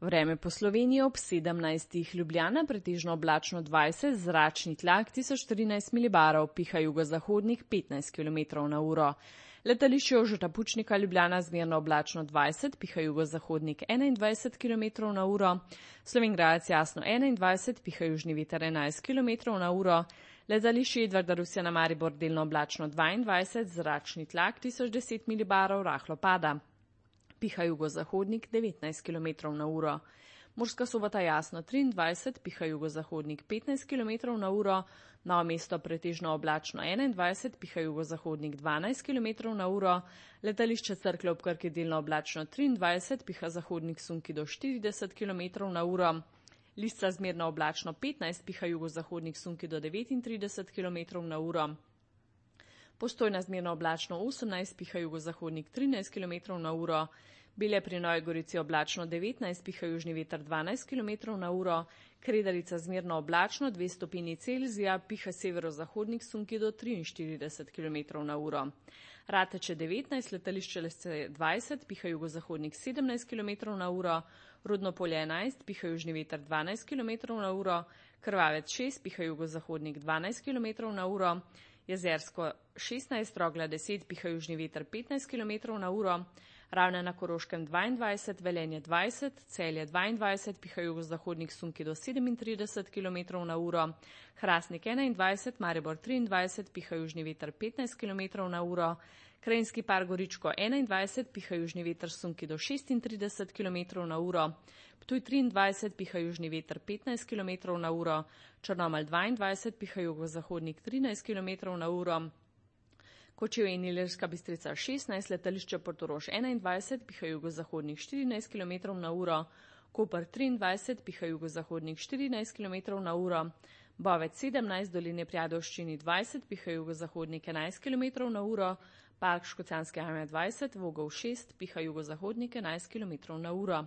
Vreme po Sloveniji ob 17. Ljubljana pretežno oblačno 20, zračni tlak 1014 milibarov, piha jugozahodnik 15 km na uro. Letališče Jožeta Pučnika Ljubljana zmerno oblačno 20, piha jugozahodnik 21 km na uro. Slovenj Gradec jasno 21, piha južni veter 11 km na uro. Letališče Edvarda Rusjana Maribor delno oblačno 22, zračni tlak 1010 milibarov, rahlo pada. Piha jugozahodnik 19 km na uro. Murska Sobota jasno 23, piha jugozahodnik 15 km na uro. Novo Mesto pretežno oblačno 21, piha jugozahodnik 12 km na uro. Letališče Cerklje ob Krki delno oblačno 23, piha zahodnik sunki do 40 km na uro. Lisca zmerno oblačno 15, piha jugozahodnik sunki do 39 km na uro. Postojna zmerno oblačno 18, piha jugozahodnik 13 km na uro. Belje pri Novi Gorici oblačno 19, piha južni veter 12 km na uro. Kredarica zmerno oblačno 2 stopinji Celzija, piha severozahodnik sunki do 43 km na uro. Rateče 19, letališče Lesce 20, piha jugozahodnik 17 km na uro. Rudno Polje 11, piha južni veter 12 km na uro. Krvavec 6, piha jugozahodnik 12 km na uro. Jezersko 16, Rogla 10, piha južni veter 15 km na uro. Ravne na Koroškem 22, Velenje 20, Celje 22, piha jugozahodnik sunki do 37 km na uro. Hrastnik 21, Maribor 23, piha južni veter 15 km na uro. Krajinski par Goričko 21, piha južni veter sunki do 36 km na uro. Ptuj 23, piha južni veter 15 km na uro. Črnomelj 22, piha jugozahodnik 13 km na uro. Kočevje in Ilirska Bistrica 16, letališče Portorož 21, piha jugozahodnik 14 km na uro. Koper 23, piha jugozahodnik 14 km na uro. Bovec 17, Doline pri Ajdovščini 20, piha jugozahodnik 11 km na uro. Park Škocjanske jame 20, Vogel 6, piha jugozahodnik 11 km na uro.